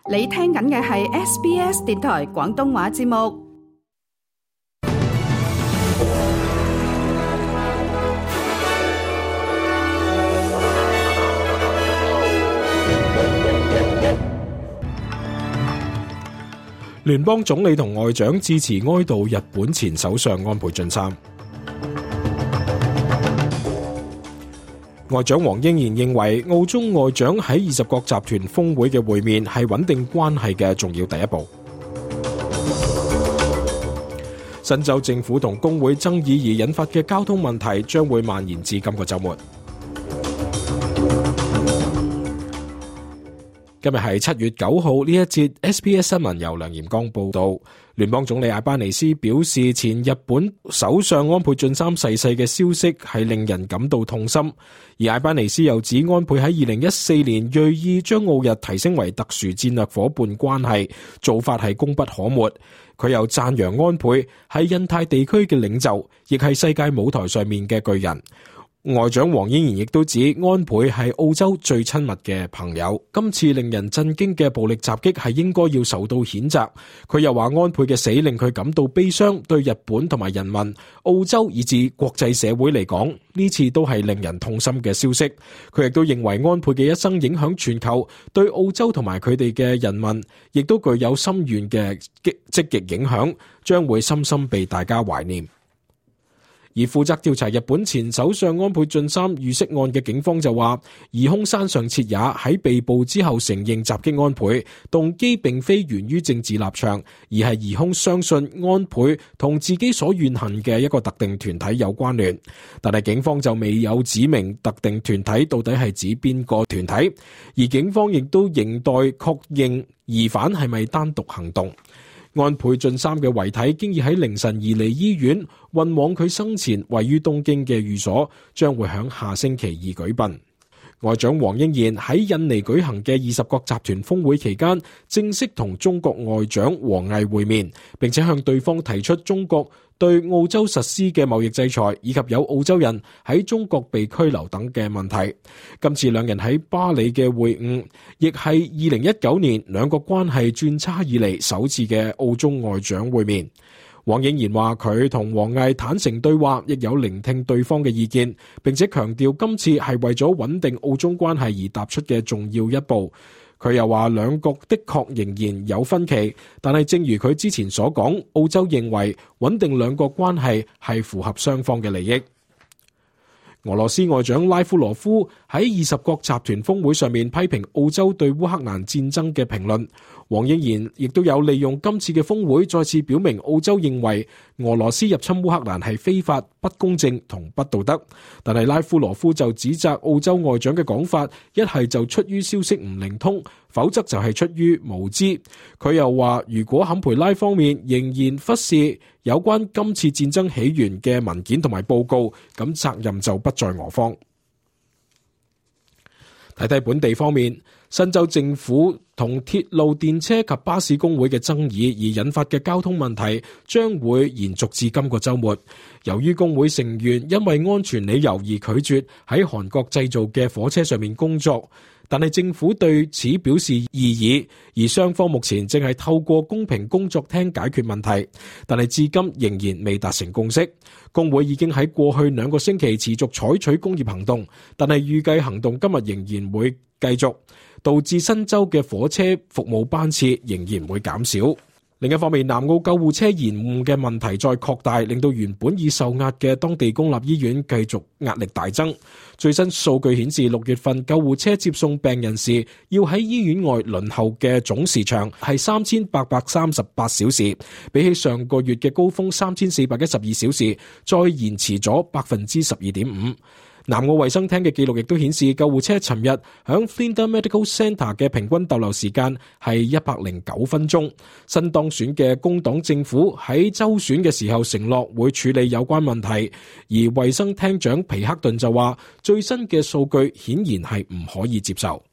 你聽緊嘅係 SBS 電台廣東話節目。聯邦總理同外長致辭哀悼日本前首相安倍晉三。外長黃英賢認為，澳中外長喺20國集團峰會嘅會面係穩定關係嘅重要第一步。新州政府同工會爭議而引發嘅交通問題將會蔓延至今個週末。今日係7月9號，呢一節 SBS 新聞由梁炎光報道。聯邦總理艾班尼斯表示，前日本首相安倍晉三逝世嘅消息係令人感到痛心。而艾班尼斯又指，安倍喺2014年銳意將澳日提升為特殊戰略夥伴關係，做法係功不可沒。佢又讚揚安倍係印太地區嘅領袖，亦係世界舞台上面嘅巨人。外長黃英賢亦都指，安倍係澳洲最親密嘅朋友。今次令人震驚嘅暴力襲擊係應該要受到譴責。佢又話，安倍嘅死令佢感到悲傷，對日本同埋人民、澳洲以至國際社會嚟講，呢次都係令人痛心嘅消息。佢亦都認為安倍嘅一生影響全球，對澳洲同埋佢哋嘅人民亦都具有深遠嘅積極影響，將會深深被大家懷念。而負責調查日本前首相安倍晉三遇刺案嘅警方就話，疑兇山上徹也喺被捕之後承認襲擊安倍，動機並非源於政治立場，而係疑兇相信安倍同自己所怨恨嘅一個特定團體有關聯。但係警方就未有指明特定團體到底係指邊個團體，而警方亦都仍待確認疑犯係咪單獨行動。安倍晉三嘅遺體經已喺凌晨移離醫院，運往佢生前位於東京嘅寓所，將會喺下星期二舉殯。外長黃英賢喺印尼舉行嘅20國集團峰會期間，正式同中國外長王毅會面，並且向對方提出中國對澳洲實施嘅貿易制裁，以及有澳洲人喺中國被拘留等嘅問題。今次兩人喺巴黎嘅會晤，亦係2019年兩國關係轉差以嚟首次嘅澳中外長會面。黃英賢話，佢同王毅坦誠對話，亦有聆聽對方嘅意見，並且強調今次係為咗穩定澳中關係而踏出嘅重要一步。佢又話，兩國的確仍然有分歧，但係正如佢之前所講，澳洲認為穩定兩國關係係符合雙方嘅利益。俄羅斯外長拉夫羅夫喺20國集團峰會上面批評澳洲對烏克蘭戰爭嘅評論。黃英賢亦都有利用今次嘅峰會再次表明澳洲認為俄羅斯入侵烏克蘭係非法、不公正同不道德。但係拉夫羅夫就指責澳洲外長嘅講法，一係就出於消息唔靈通，否則就係出於無知。佢又話，如果坎培拉方面仍然忽視有關今次戰爭起源嘅文件同埋報告，咁責任就不在俄方。睇睇本地方面，新州政府同鐵路電車及巴士工會嘅爭議而引發嘅交通問題將會延續至今個週末。由於工會成員因為安全理由而拒絕喺韓國製造嘅火車上面工作，但係政府對此表示異議，而雙方目前正係透過公平工作廳解決問題，但係至今仍然未達成共識。工會已經喺過去2個星期持續採取工業行動，但係預計行動今日仍然會繼續，導致新州嘅火車服務班次仍然會減少。另一方面，南澳救護車延誤嘅問題再擴大，令到原本已受壓嘅當地公立醫院繼續壓力大增。最新數據顯示，6月份救護車接送病人時要喺醫院外輪候嘅總時長係3838小時，比起上個月嘅高峰3412小時，再延遲咗 12.5%。南澳衛生廳嘅記錄亦都顯示，救護車尋日響 Flinders Medical Centre 嘅平均逗留時間係109分鐘。新當選嘅工黨政府喺州選嘅時候承諾會處理有關問題，而衛生廳長皮克頓就話，最新嘅數據顯然係唔可以接受。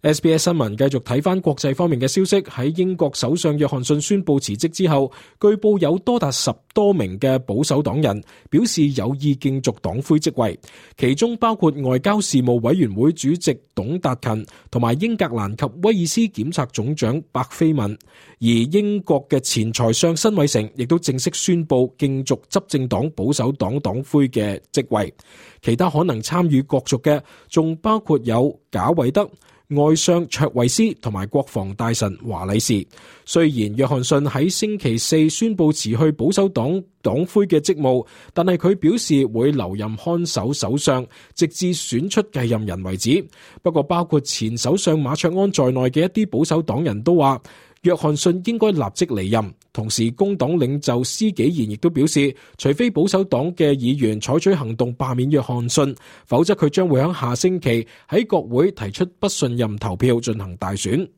SBS 新聞繼續睇返國際方面嘅消息，喺英國首相約翰遜宣布辭職之後，據報有多達10多名嘅保守黨人表示有意競逐黨魁職位，其中包括外交事務委員會主席董達勤同埋英格蘭及威爾斯檢察總長白菲文，而英國嘅前財相辛偉誠亦都正式宣布競逐執政黨保守黨黨魁嘅職位。其他可能參與角逐嘅仲包括有賈偉德、外相卓慧思同埋國防大臣華禮士。雖然約翰遜喺星期四宣布辭去保守黨黨魁嘅職務，但係佢表示會留任看守首相，直至選出繼任人為止。不過包括前首相馬卓安在內嘅一啲保守黨人都話，約翰遜應該立即離任。同時工黨領袖施紀賢亦都表示，除非保守黨嘅議員採取行動罷免約翰遜，否則佢將會喺下星期喺國會提出不信任投票進行大選。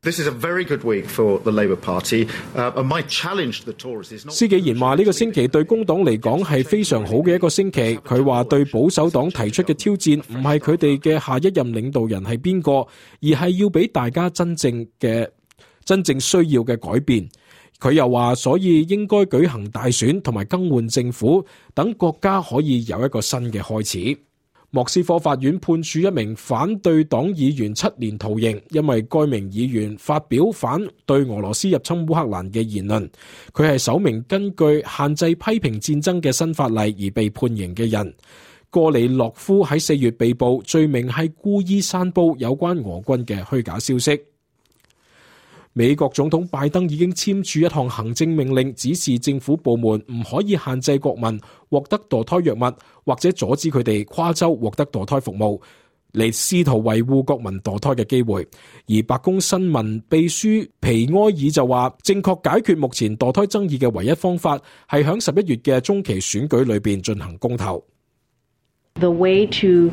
This is a very good week for the Labour Party. My challenge to the Tories is not... 施紀賢話呢個星期對工黨嚟講係非常好嘅一個星期。佢話對保守黨提出嘅挑戰唔係佢哋嘅下一任領導人係邊個，而係要俾大家真正需要嘅改變。佢又話，所以應該舉行大選同埋更換政府，等國家可以有一個新嘅開始。莫斯科法院判處一名反對黨議員7年徒刑，因為該名議員發表反對俄羅斯入侵烏克蘭嘅言論。佢係首名根據限制批評戰爭嘅新法例而被判刑嘅人。戈里洛夫喺4月被捕，罪名係故意散佈有關俄軍嘅虛假消息。美國總統拜登已經簽署一項行政命令，指示政府部門唔可以限制國民獲得墮胎藥物，或者阻止佢哋跨州獲得墮胎服務，嚟試圖維護國民墮胎嘅機會。而白宮新聞秘書皮埃爾就話，正確解決目前墮胎爭議嘅唯一方法係喺11月嘅中期選舉裏邊進行公投。The way to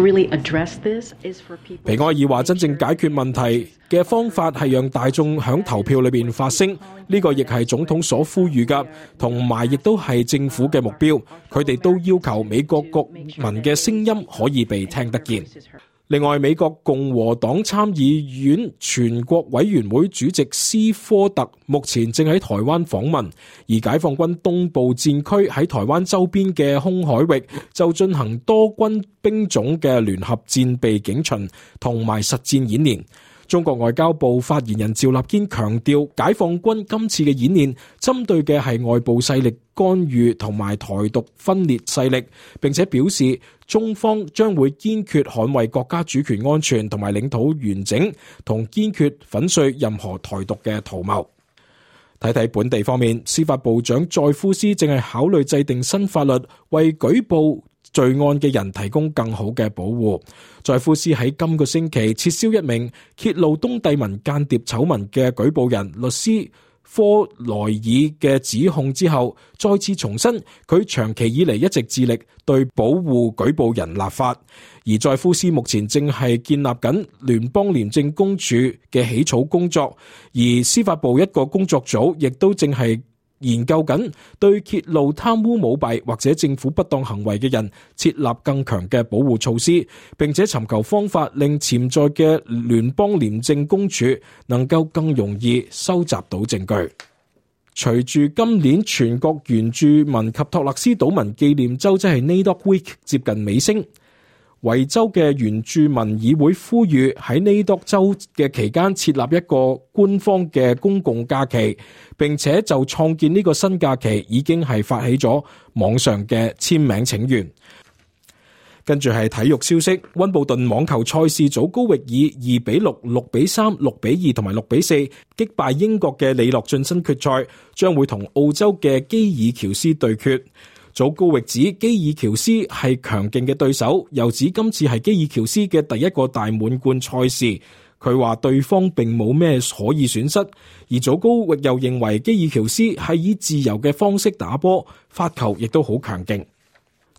really address this is for people. 皮埃爾話，真正解決問題嘅方法係讓大眾響投票裏邊發聲，呢個亦係總統所呼籲㗎，同埋亦都係政府嘅目標。佢哋都要求美國國民嘅聲音可以被聽得見。另外，美國共和黨參議院全國委員會主席斯科特目前正喺台灣訪問，而解放軍東部戰區喺台灣周邊嘅空海域就進行多軍兵種嘅聯合戰備警巡同埋實戰演練。中國外交部發言人趙立堅強調，解放軍今次嘅演練針對嘅係外部勢力干預同埋台獨分裂勢力，並且表示中方將會堅決捍衛國家主權安全同埋領土完整，同堅決粉碎任何台獨嘅圖謀。睇睇本地方面，司法部長載夫斯正係考慮制定新法律，為舉報罪案嘅人提供更好嘅保護。載夫斯喺今個星期撤銷一名揭露東帝汶間諜醜聞嘅舉報人律師科萊爾嘅指控之後，再次重申佢長期以嚟一直致力對保護舉報人立法。而載夫斯目前正係建立緊聯邦廉政公署嘅起草工作，而司法部一個工作組亦都正係研究緊對揭露貪污舞弊或者政府不當行為嘅人設立更強嘅保護措施，並且尋求方法令潛在嘅聯邦廉政公署能夠更容易收集到證據。隨住今年全國原住民及托勒斯島民紀念週，即係 NAIDOC Week 接近尾聲，維州嘅原住民議會呼籲喺NAIDOC週嘅期間設立一個官方嘅公共假期，並且就創建呢個新假期已經係發起咗網上嘅簽名請願。跟住係體育消息，溫布頓網球賽事祖高域以2-6、6-3、6-2同埋6-4擊敗英國嘅李諾晉身決賽，將會同澳洲嘅基爾喬斯對決。祖高域指基爾喬斯係強勁嘅對手，又指今次係基爾喬斯嘅第一個大滿貫賽事。佢話對方並冇咩可以損失，而祖高域又認為基爾喬斯係以自由嘅方式打波，發球亦都好強勁。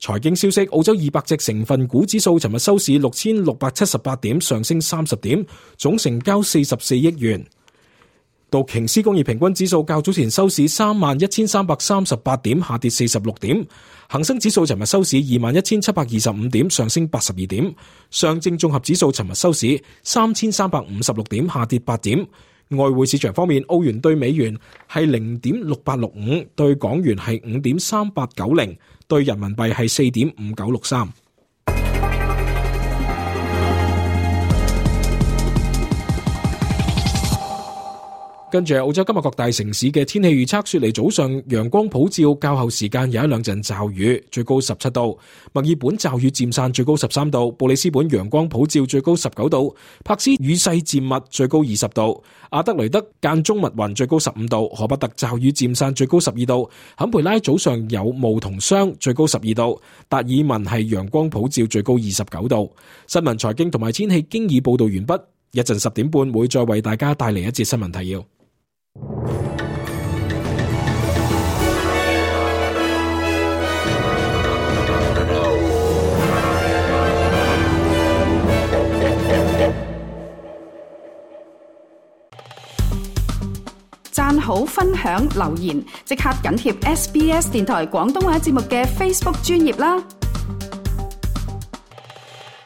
財經消息，澳洲200隻成分股指數尋日收市6678點，上升30點，總成交44億元。道瓊斯工業平均指數較早前收市31,338點，下跌46點。恒生指數尋日收市21,725點，上升82點。上證綜合指數尋日收市3,356點，下跌8點。外匯市場方面，澳元對美元係0.6865，對港元係5.3890，對人民幣係4.5963。跟住澳洲今日各大城市嘅天氣預測，雪梨早上陽光普照，較後時間有一兩陣驟雨，最高17度；墨爾本驟雨漸散，最高13度；布里斯本陽光普照，最高19度；柏斯雨勢漸密，最高20度；阿德雷德間中密雲，最高15度；荷伯特驟雨漸散，最高12度；坎培拉早上有霧同霜，最高12度；達爾文係陽光普照，最高29度。新聞財經同埋天氣經已報道完畢，一陣10點半會再為大家帶嚟一節新聞提要。讚好、分享、留言，即刻緊貼SBS 電台廣東話節目嘅 Facebook 專頁啦！